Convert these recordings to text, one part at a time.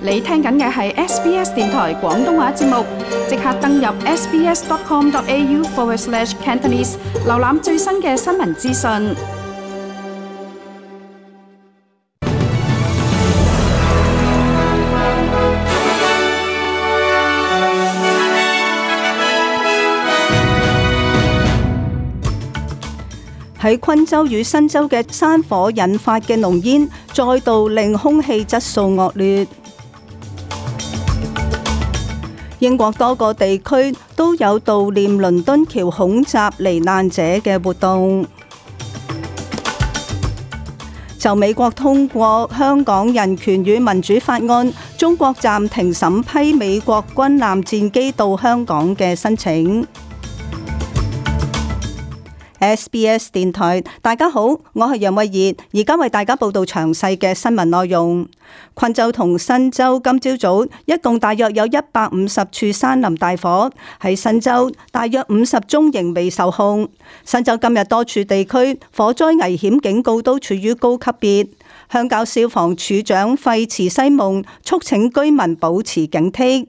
你聽緊嘅係 SBS 電台廣東話節目，即刻登入 sbs.com.au/Cantonese 瀏覽最新嘅新聞資訊。喺昆州與新州嘅山火引發嘅濃煙，再度令空氣質素惡劣。英國多個地區都有悼念倫敦橋恐襲罹難者嘅活動。就美國通過香港人權與民主法案，中國暫停審批美國軍艦戰機到香港嘅申請。SBS 電台，大家好，我係楊慧儀，而家為大家報道詳細嘅新聞內容。昆州同新州今朝早一共大約有150處山林大火，喺新州大約50宗仍未受控。新州今日多處地區火災危險警告都處於高級別。鄉郊消防處長費茨西蒙促請居民保持警惕。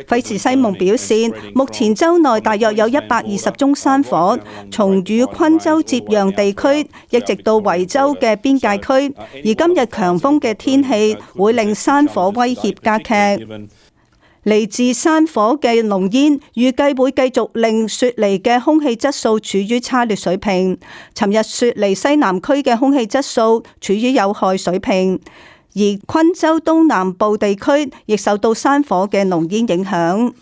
費茨西蒙表示，目前州內大約有120宗山火，從與昆州接壤地區一直到維州嘅邊界區，而今日強風嘅天氣會令山火威脅加劇。嚟自山火嘅濃煙預計會繼續令雪梨嘅空氣質素處於差劣水平。尋日雪梨西南區嘅空氣質素處於有害水平。而昆州東南部地區亦受到山火嘅濃煙影響。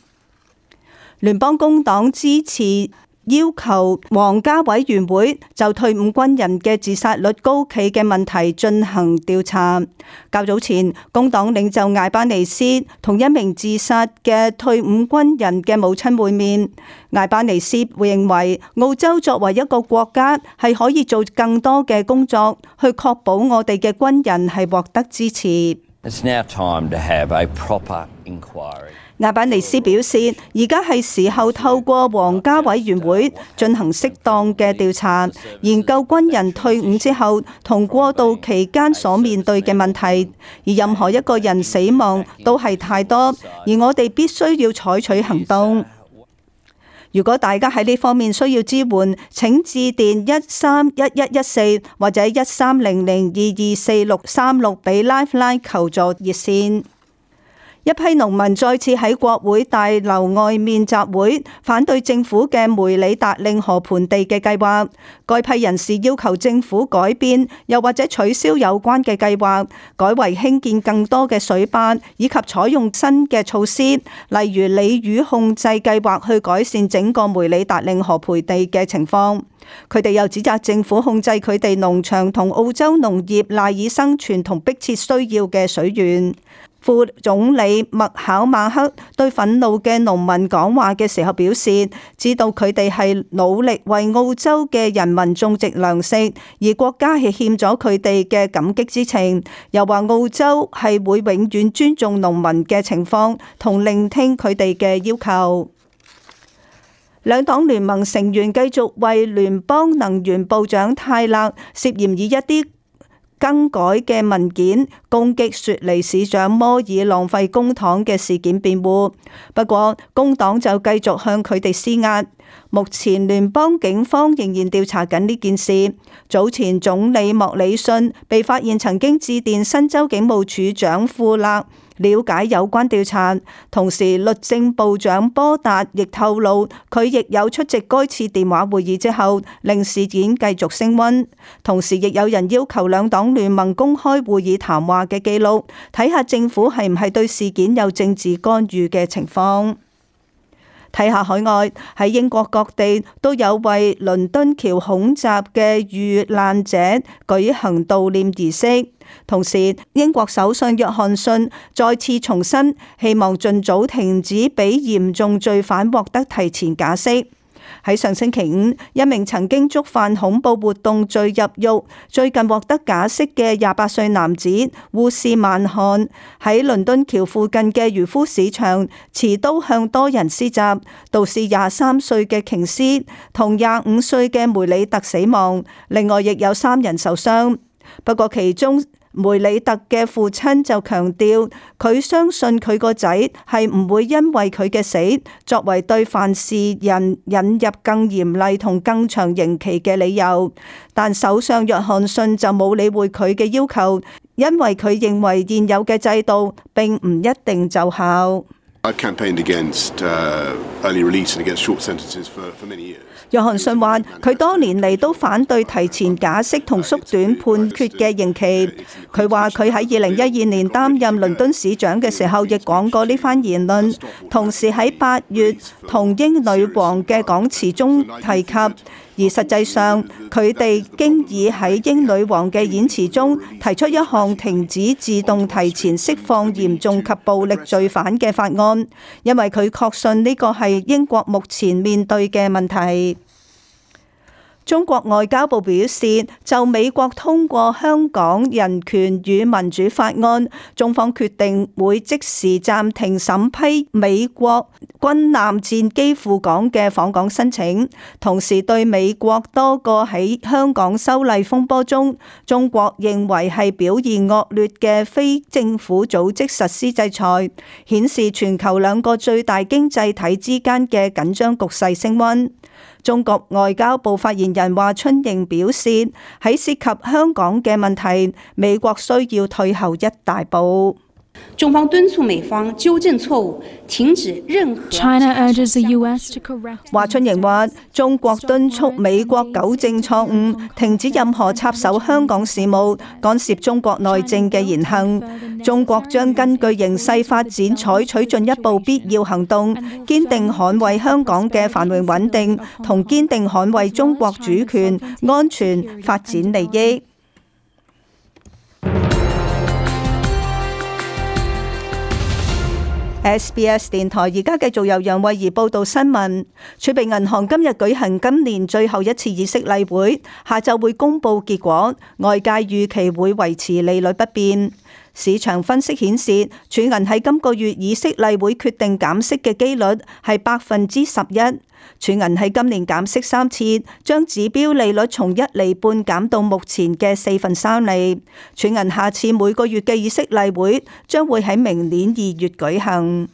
聯邦工黨支持要求皇家委員會就退伍軍人嘅自殺率高企嘅問題進行調查。較早前，工黨領袖艾班尼斯同一名自殺嘅退伍軍人嘅母親會面。艾班尼斯會認為澳洲作為一個國家係可以做更多嘅工作，去確保我哋嘅軍人係獲得支持。It's now time to have a proper inquiry. 艾班尼斯表示，而家係時候透過皇家委員會進行適當嘅調查，研究軍人退伍之後同過渡期間所面對嘅問題。而任何一個人死亡都係太多，而我哋必須要採取行動。如果大家喺呢方面需要支援，請致電131114或者1300224636俾 Lifeline 求助熱線。一批農民再次喺國會大樓外面集會，反對政府嘅梅里達令河盆地嘅計劃。該批人士要求政府改變，又或者取消有關嘅計劃，改為興建更多嘅水壩，以及採用新嘅措施，例如鯉魚控制計劃，去改善整個梅里達令河盆地嘅情況。佢哋又指責政府控制佢哋農場同澳洲農業賴以生存同迫切需要嘅水源。副總理麥考馬克對憤怒嘅農民講話嘅時候表示，知道佢哋係努力為澳洲嘅人民種植糧食，而國家係欠咗佢哋嘅感激之情。又話澳洲係會永遠尊重農民嘅情況，同聆聽佢哋嘅要求。兩黨聯盟成員繼續為聯邦能源部長泰勒涉嫌以一啲更改嘅文件攻擊雪梨市長摩爾浪費公帑嘅事件辯護，不過工黨就繼續向佢哋施壓。目前聯邦警方仍然調查緊呢件事。早前總理莫里遜被發現曾經致電新州警務處長庫勒了解有關調查，同時律政部長波達亦透露佢亦有出席該次電話會議之後，令事件繼續升溫。同時亦有人要求兩黨聯盟公開會議談話嘅記錄，睇下政府係唔係對事件有政治干預嘅情況。睇下海外，喺英國各地都有為倫敦橋恐襲嘅遇難者舉行悼念儀式。同時，英國首相約翰遜再次重申，希望盡早停止俾嚴重罪犯獲得提前假釋。喺上星期五，一名曾經觸犯恐怖活動罪入獄、最近獲得假釋嘅28歲男子烏斯曼汗，喺倫敦橋附近嘅漁夫市場持刀向多人施襲，導致23歲嘅瓊斯同25歲嘅梅里特死亡，另外亦有3人受傷。不過其中梅里特嘅父親就強調，佢相信佢個仔係唔會因為佢嘅死作為對犯事人引入更嚴厲同更長刑期嘅理由。但首相約翰遜就冇理會佢嘅要求，因為佢認為現有嘅制度並唔一定奏效。約翰遜話：佢多年嚟都反對提前假釋同縮短判決嘅刑期。佢話佢喺2012年擔任倫敦市長嘅時候，亦講過呢番言論。同時喺8月同英女王嘅講詞中提及，而實際上佢哋經已喺英女王嘅演辭中提出一項停止自動提前釋放嚴重及暴力罪犯嘅法案，因為佢確信呢個係英國目前面對嘅問題。中國外交部表示，就美國通過香港人權與民主法案，中方決定會即時暫停審批美國軍艦戰機赴港嘅訪港申請，同時對美國多個喺香港修例風波中，中國認為係表現惡劣嘅非政府組織實施制裁，顯示全球兩個最大經濟體之間嘅緊張局勢升溫。中國外交部發言人華春瑩表示，喺涉及香港嘅問題，美國需要退後一大步。中方敦促美方糾正錯誤，停止任何。China urges the US to correct。華春瑩話：中國敦促美國糾正錯誤，停止任何插手香港事務、干涉中國內政嘅言行。中國將根據形勢發展，採取進一步必要行動，堅定捍衛香港嘅繁榮穩定，同堅定捍衛中國主權、安全、發展利益。SBS 電台而家繼續由楊慧儀報道新聞。儲備銀行今日舉行今年最後一次議息例會，下晝會公布結果，外界預期會維持利率不變。市場分析顯示，儲銀喺今個月議息例會決定減息嘅機率係11%。儲銀喺今年減息3次，將指標利率從1.5厘減到目前嘅3/4厘。儲銀下次每個月嘅議息例會將會喺明年2月舉行。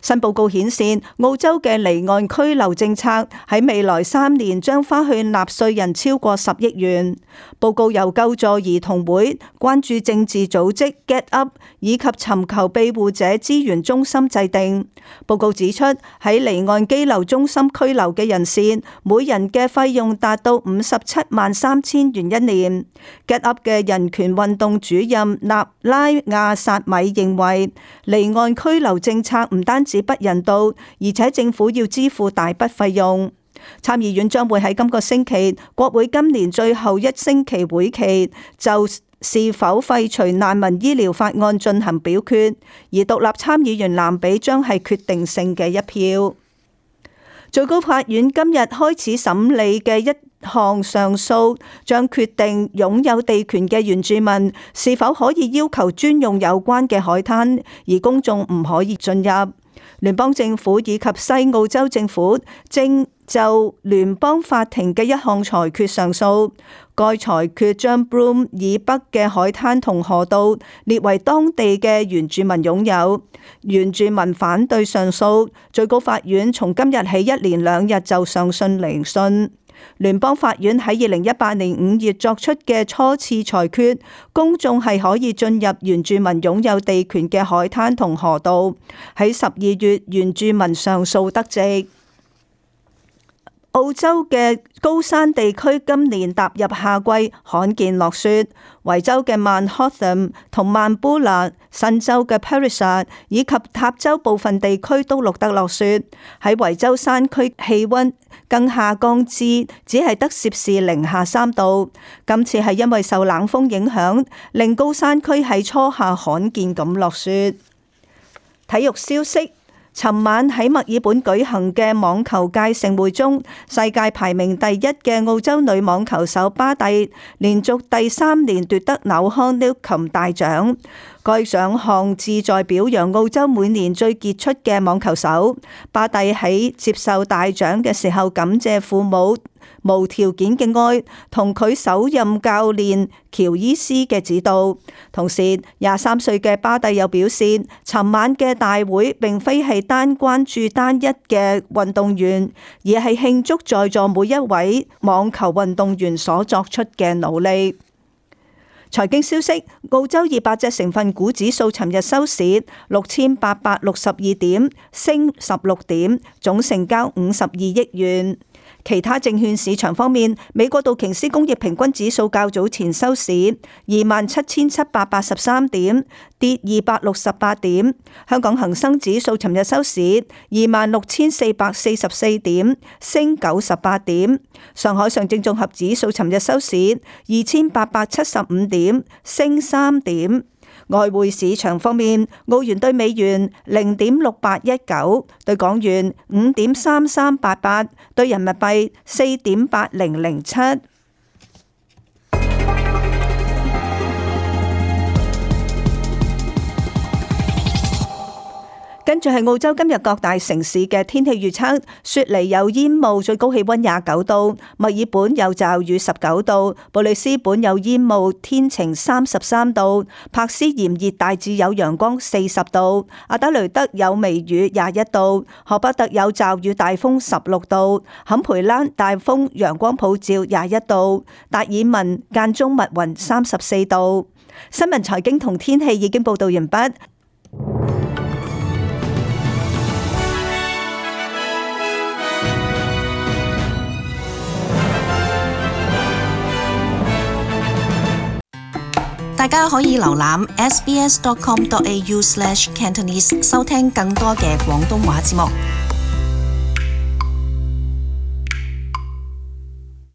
新報告顯示，澳洲嘅離岸居留政策喺未來3年將花去納稅人超過10億元。報告由救助兒童會、關注政治組織 Get Up 以及尋求庇護者資源中心制定。報告指出，喺離岸羈留中心居留嘅人士，每人嘅費用達到573000元一年。Get Up 嘅人權運動主任納拉亞薩米認為，離岸居留政策唔單止不人道，而且政府要支付大筆費用。參議院將會喺今個星期，國會今年最後一星期會期就是否廢除難民醫療法案進行表決，而獨立參議員藍比將係決定性嘅一票。最高法院今日開始審理嘅一項上訴，將決定擁有地權嘅原住民是否可以要求專用有關嘅海灘，而公眾唔可以進入。聯邦政府以及西澳洲政府正就聯邦法庭嘅一項裁決上訴，該裁決將 Broome 以北嘅海灘同河道列為當地嘅原住民擁有。原住民反對上訴，最高法院從今日起1連2日就上訴聆訊。聯邦法院喺2018年5月作出嘅初次裁決，公眾係可以進入原住民擁有地權嘅海灘同河道。喺12月，原住民上訴得直。澳洲嘅高山地區今年踏入夏季，罕見落雪。維州嘅曼霍頓同曼布拉、新州嘅 Parisa 以及塔州部分地區都錄得落雪。喺維州山區氣溫更下降至只係得攝氏-3度。今次係因為受冷風影響，令高山區喺初夏罕見咁落雪。體育消息。尋晚喺墨爾本舉行嘅網球界盛會中，世界排名第1嘅澳洲女網球手巴蒂連續第3年奪得紐康紐琴大獎。該獎項旨在表揚澳洲每年最傑出嘅網球手。巴蒂喺接受大獎嘅時候感謝父母無條件嘅愛同佢首任教練喬伊斯嘅指導。同時，23歲嘅巴蒂又表示，尋晚嘅大會並非係單關注單一嘅運動員，而係慶祝在座每一位網球運動員所作出嘅努力。財經消息：澳洲200隻成分股指數尋日收市6862點，升16點，總成交52億元。其他證券市場方面，美國道瓊斯工業平均指數較早前收市27,783點，跌268點。香港恒生指數尋日收市26,444點，升98點。上海上證綜合指數尋日收市2,875點，升3點。外匯市場方面，澳元對美元0.6819，對港元5.3388，對人民幣4.8007。跟住係澳洲今日各大城市嘅天氣預測：雪梨有煙霧，最高氣溫29度；墨爾本有驟雨19度；布里斯本有煙霧，天晴33度；柏斯炎熱，大致有陽光40度；阿德雷德有微雨21度；荷伯特有驟雨大風16度；坎培蘭大風陽光普照21度；達爾文間中密雲34度。新聞財經同天氣已經報道完畢。大家可以瀏覽 sbs.com.au/cantonese 收聽更多嘅廣東話節目。